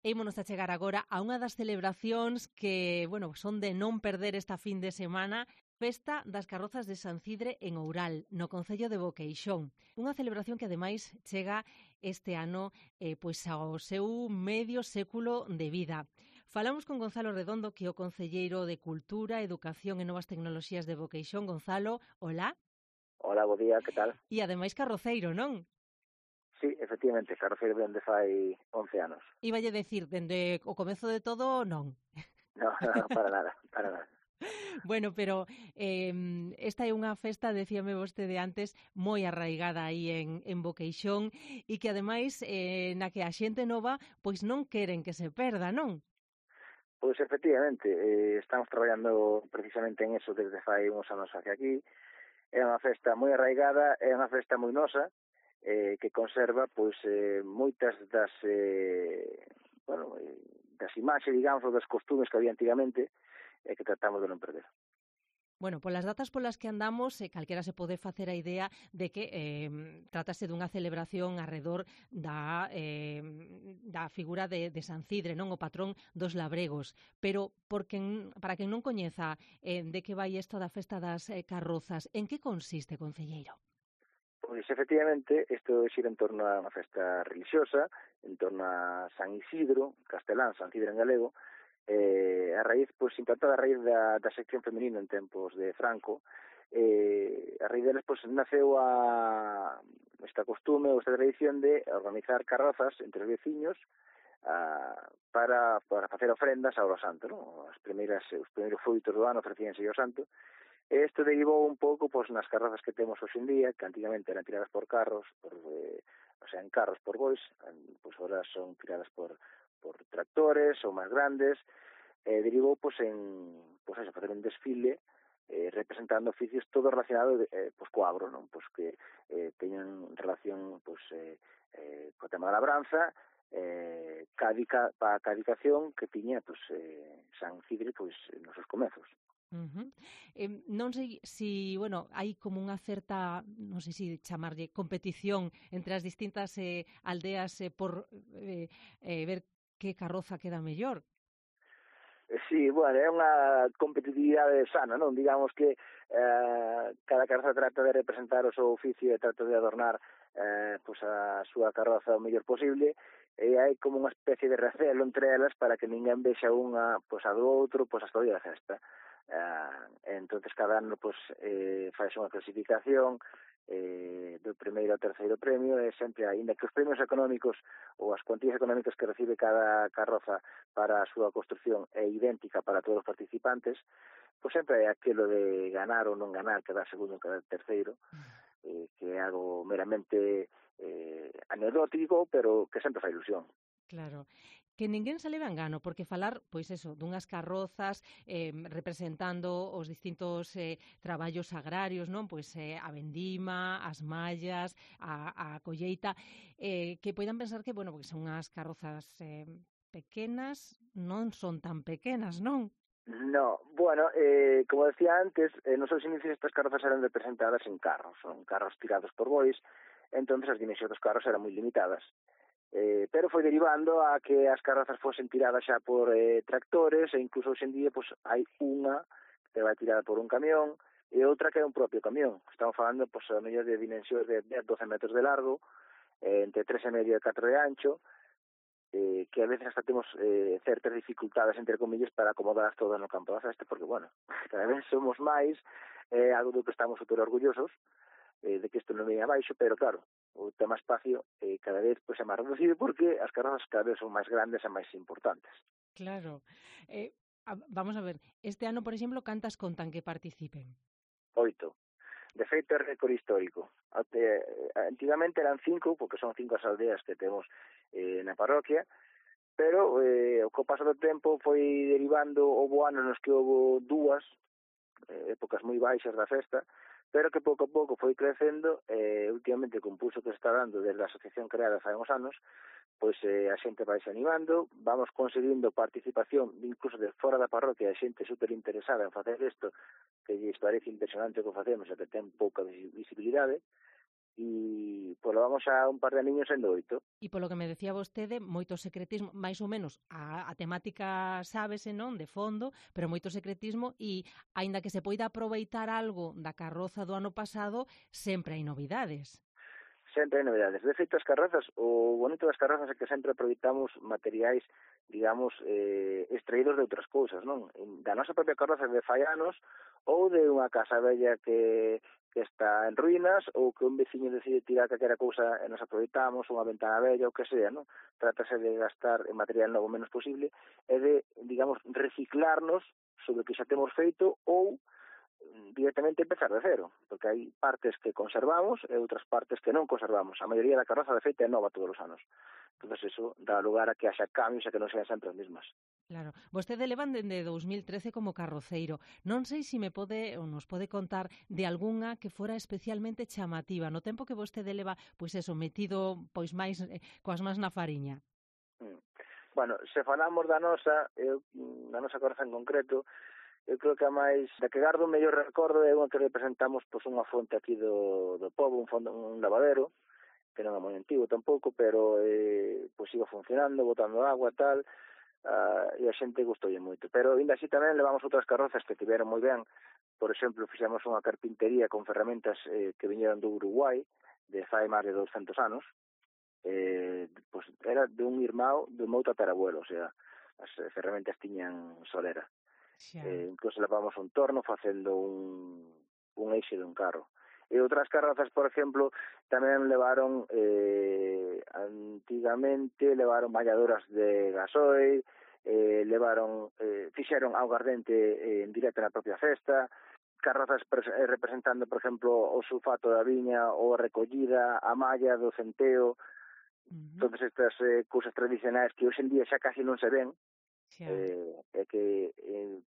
Ímonos a chegar agora a unha das celebracións que, bueno, son de non perder esta fin de semana, Festa das Carrozas de San Cidre en Oural, no concello de Boqueixón. Unha celebración que ademais chega este ano pois ao seu medio século de vida. Falamos con Gonzalo Redondo, que é o concelleiro de Cultura, Educación e Novas Tecnoloxías de Boqueixón. Gonzalo, hola. Hola, bo día, que tal? E ademais carroceiro, non? Sí, efectivamente, carroceiro dende fai 11 anos. Iballe decir, dende o comezo de todo, non. No, para nada, para nada. Bueno, pero esta é unha festa, decíame vostede antes, moi arraigada aí en Boqueixón e que ademais na que a xente nova pois non queren que se perda, non? Pois efectivamente, estamos traballando precisamente en eso desde fai uns anos hacia aquí. É unha festa moi arraigada, é unha festa moi nosa, que conserva pois moitas das das imaxes, digamos, ou das costumes que había antigamente e que tratamos de non perder. Bueno, polas datas polas que andamos, calquera se pode facer a idea de que trátase dunha celebración arredor da figura de San Cidre, non, o patrón dos labregos. Pero para quen non coñeza de que vai isto da festa das carrozas, en que consiste, concelleiro? Pois, efectivamente, isto xira en torno a unha festa religiosa, en torno a San Isidro, castelán, San Cidre en galego, a raíz, pois, implantada a raíz da sección femenina en tempos de Franco, a raíz deles, pois, naceu esta costume ou esta tradición de organizar carrozas entre os veciños para facer ofrendas ao santo, non? Os primeiros froitos do ano ofrecíanse ao santo. Isto derivou un pouco pois, nas carrozas que temos hoxe en día, que antigamente eran tiradas por carros, en carros por bois, pois agora son tiradas por tractores ou máis grandes, derivou pois en facer un desfile representando oficios todo relacionado pois co agro, non? Pois que teñen relación pois co tema da labranza, ca dedicación que tiña pois San Cidre pois nos seus comezos. Non sei se, bueno, hai como unha certa, non sei se chamarlle competición entre as distintas aldeas por ver que carroza queda mellor. Sí, bueno, é unha competitividade sana, non? Digamos que cada carroza trata de representar o seu oficio e trata de adornar pois a súa carroza o mellor posible, e hai como unha especie de recelo entre elas para que ninguén vexa unha pois a do outro pois hasta o día da festa. Entonces cada ano pois faise unha clasificación do primeiro ao terceiro premio, e sempre, aínda que os premios económicos ou as cuantías económicas que recibe cada carroza para a súa construción é idéntica para todos os participantes, pois sempre é aquilo de ganar ou non ganar, quedar segundo ou quedar terceiro, que é algo meramente anecdótico, pero que sempre fai ilusión. Claro, que ninguén se leve a engano, porque falar, pois eso, dunhas carrozas representando os distintos traballos agrarios, non? Pois a vendima, as mallas, a colleita, que poidan pensar que, bueno, porque son unhas carrozas pequenas, non son tan pequenas, non? No, bueno, como decía antes, nos seus inicios estas carrozas eran representadas en carros, son carros tirados por bois, entonces as dimensións dos carros eran moi limitadas. Pero foi derivando a que as carrozas fosen tiradas xa por tractores, e incluso hoxe en día pois, hai unha que vai tirada por un camión e outra que é un propio camión. Estamos falando pois, a mellor de dimensións de 12 metros de largo, entre 3,5 e 4 de ancho, que a veces hasta temos certas dificultades, entre comillas, para acomodadas todas no campo da festa, porque, bueno, cada vez somos máis, algo do que estamos super orgullosos, de que isto non venha abaixo, pero claro, o tema espacio cada vez pois, é máis reducido porque as carrozas cada vez son máis grandes e máis importantes. Claro. Vamos a ver, este ano, por exemplo, cantas contan que participen? 8. De feito, é récord histórico. Antigamente eran 5, porque son 5 as aldeas que temos na parroquia, pero co paso do tempo foi derivando, houve anos nos que houve 2, épocas moi baixas da festa, pero que pouco a pouco foi crecendo e últimamente con pulso que se está dando desde a asociación creada fai uns anos, pois a xente vai se animando, vamos conseguindo participación incluso de fora da parroquia, a xente super interesada en facer isto, que lles parece impresionante o que facemos e que ten pouca visibilidade, e polo vamos xa un par de niños sendo 8. E polo que me decía vostede, moito secretismo, máis ou menos a temática sábese, non, de fondo, pero moito secretismo e, aínda que se poida aproveitar algo da carroza do ano pasado, sempre hai novidades. Sempre hai novedades. De feito, as carrozas, o bonito das carrozas é que sempre aproveitamos materiais, digamos, extraídos de outras cousas, non? Da nosa propia carroza de fai anos, ou de unha casa bella que está en ruínas, ou que un veciño decide tirar calquera cousa e nos aproveitamos, unha ventana bella, ou que sea, non? Trátase de gastar en material novo o menos posible e de, digamos, reciclarnos sobre o que xa temos feito ou directamente empezar de cero, porque hai partes que conservamos e outras partes que non conservamos. A maioría da carroza, de feito, é nova todos os anos. Entón, eso dá lugar a que haxa cambios e que non sean sempre as mesmas. Claro. Vostede levan dende 2013 como carroceiro. Non sei se me pode ou nos pode contar de algunha que fora especialmente chamativa no tempo que vostede leva, pois eso, metido pois máis coas mans na fariña. Bueno, se falamos da nosa carroza en concreto, eu creo que a máis da que gardo o mellor recordo é unha que representamos pois unha fonte aquí do pobo, un lavadero, que non é moi antigo tampouco, pero pois iba funcionando, botando agua e tal, e a xente gustoulle moito. Pero ainda así tamén levamos outras carrozas que tiveron moi ben. Por exemplo, fixemos unha carpintería con ferramentas que viñeron do Uruguai, de fai máis de 200 anos. Pois era de un irmão do meu tatarabuelo, o sea, as ferramentas tiñan solera. Incluso levamos un torno facendo un eixe dun carro. E outras carrozas, por exemplo, tamén levaron, antigamente, levaron bañadoras de gasoil, fixeron augardente en directo na propia festa, carrozas representando, por exemplo, o sulfato da viña, ou a recollida, a malla do centeo, todas estas cousas tradicionais que hoxe en día xa casi non se ven, e que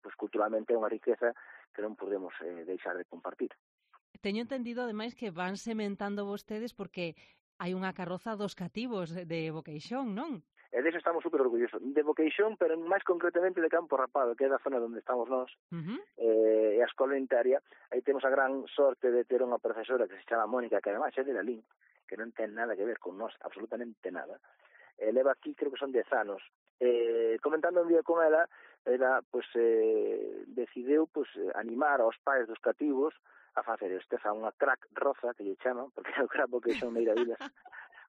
pues, culturalmente é unha riqueza que non podemos deixar de compartir. Teño entendido, ademais, que van sementando vostedes porque hai unha carroza dos cativos de Boqueixón, non? E deso estamos super orgullosos. De Boqueixón, pero máis concretamente de Campo Rapado, que é da zona onde estamos nós, e a escola unitaria. Aí temos a gran sorte de ter unha profesora que se chama Mónica, que ademais é de Lalín, que non ten nada que ver con nós, absolutamente nada. Leva aquí, creo que son 10 anos. Comentando un día con ela pues, decidiu pues, animar aos pais dos cativos a facer unha crack roza, que lle chaman, porque é o crack Boqueixón Meiravilas,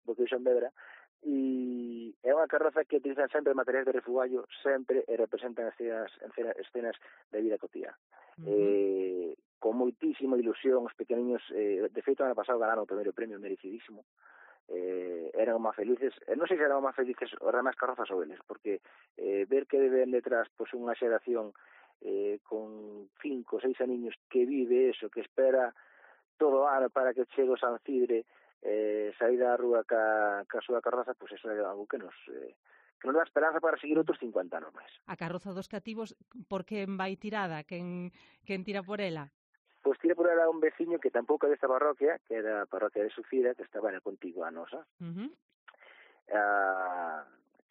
Boqueixón Vedra, e é unha carroza que utilizan sempre materiais de refugallo, sempre, e representan escenas de vida cotiá. Con moitísima ilusión, os pequeniños, de feito, ano pasado ganaron o primeiro premio, merecidísimo, eran máis felices, non sei se eran máis felices os demais carrozas ou eles, porque ver que ven detrás pues, unha xeración con 5 ou 6 aniños que vive eso, que espera todo o ano para que chegue o San Cidre, sair da rúa ca súa carroza, pues eso é algo que nos dá esperanza para seguir outros 50 anos máis. A carroza dos cativos, por que vai tirada? Quen tira por ela? Pois tira por ela un veciño que tampouco é desta parroquia, que era a parroquia de Sufira, que estaba na contigua a nosa.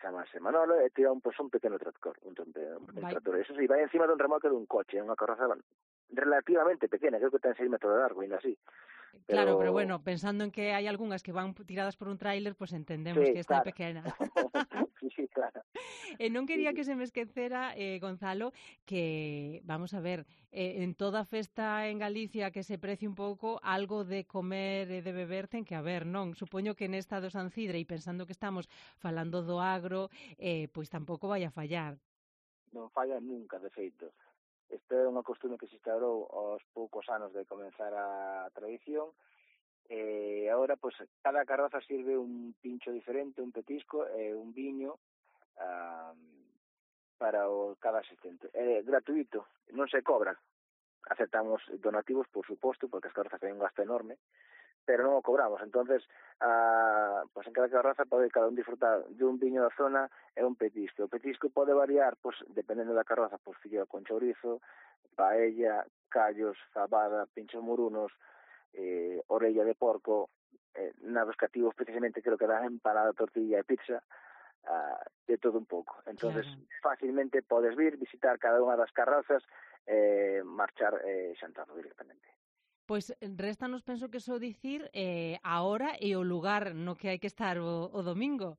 Chamase Manolo, e tira un pequeno tractor, un tractor. Eso sí, vai encima dun remolque dun coche, unha carroza relativamente pequena, creo que ten 6 metros de largo, ainda así. Claro, pero bueno, pensando en que hai algunhas que van tiradas por un tráiler, pues entendemos que esta é pequena. Sí, claro. E non quería que se me esquecera, Gonzalo, que, vamos a ver, en toda festa en Galicia que se precie un pouco, algo de comer e de beber ten que haber, non? Supoño que nesta do San Cidre, e pensando que estamos falando do agro, pois tampouco vai a fallar. Non falla nunca, de feito. Esta é unha costume que se instaurou aos poucos anos de comenzar a tradición, e agora, pues, cada carroza sirve un pincho diferente, un petisco e un viño para cada asistente. É gratuito, non se cobra. Aceptamos donativos, por suposto, porque as carrozas ten un gasto enorme, pero non o cobramos. Entonces, pues en cada carroza pode cada un disfrutar de un viño da zona e un petisco. O petisco pode variar, pues, dependendo da carroza, pues, filleo con chourizo, paella, callos, fabada, pinchos morunos, orella de porco, na dos cativos precisamente creo que dan empanada, tortilla e pizza, de todo un pouco. Entonces, fácilmente podes vir, visitar cada unha das carrozas, marchar xantando directamente. Pois réstanos, penso que só dicir a hora e o lugar no que hai que estar o domingo.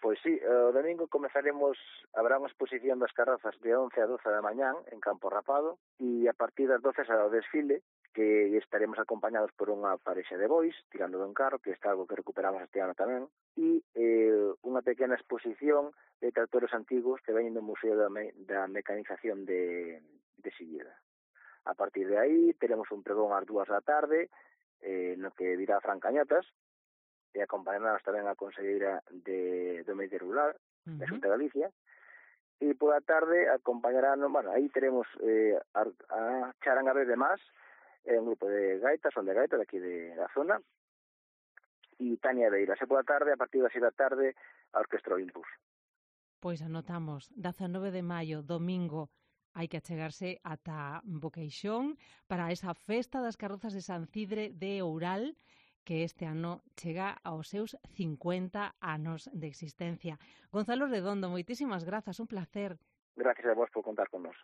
Pois sí, o domingo habrá unha exposición das carrozas de 11 a 12 da mañán en Campo Rapado e a partir das 12 será o desfile que estaremos acompañados por unha parexa de bois tirando dun carro, que está algo que recuperamos este ano tamén, e unha pequena exposición de tractores antigos que veñen do Museo da Mecanización de Silleda. A partir de aí teremos un pregón ás 2 da tarde no que dirá Fran Cañotas e acompañarnos tamén a conselleira do Medio Rural da Xunta de Galicia e pola tarde acompañarán, bueno, aí teremos a Charanga Bebe Más, un grupo de gaitas, son de gaitas daqui da zona, e Tania Beiras, e pola tarde, a partir das 6 da tarde, a Orquestra Olympus. Pois anotamos, 19 de maio, domingo, hai que achegarse ata Boqueixón para esa festa das carrozas de San Cidre de Oural, que este ano chega aos seus 50 anos de existencia. Gonzalo Redondo, moitísimas grazas, un placer. Gracias a vos por contar con nós.